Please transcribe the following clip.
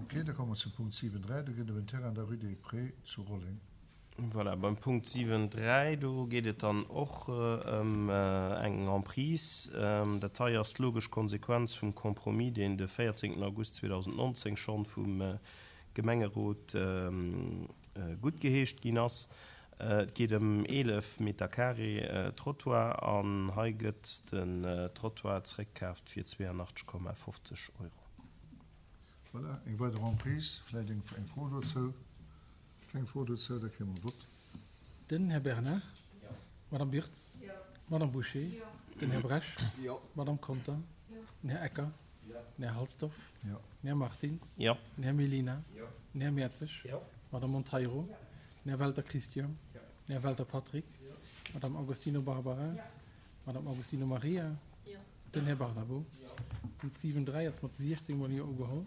Ok, da komme mer zum Punkt 7,3. Do geet et ëm en Terrain an der Rue des Prés zu Rolleng. Voilà, beim Punkt 7,3, do geet et dann och ëm eng Emprise. Dat hei ass d'logesch Konsequenz vum Compromis, deen de 14 August 2019 schonn vum Gemengerot guttgeheescht ginn ass. Et geet ëm 11 Meter carré Trottoir an hei gëtt den Trottoir zeréckkaaft fir 82,50 Euro. Voilà, eng weider Emprise. Vläicht eng Fro dozou? Keng Fro dozou, da kréie mer e Vott. Den Här Bernard. Jo. D'Madame Wirtz. Jo. D'Madame Bouché. Jo. Den Här Bresch. Jo. D'Madame Conter. Jo. Den Här Ecker. Jo. Den Här Halsdorf. Jo. Den Här Martins. Jo. Den Här Mellina. Jo. Den Här Mertzig. Jo. D'Madame Monteiro. Jo. Den Här Welter Christian. Jo. Den Här Welter Patrick. Jo. D'Madame Agostino Barbara. Jo. D'Madame Agostino Maria. Jo. Den Här Barnabo. Jo. Punkt 7, 3 ass mat 16 mol Jo ugeholl.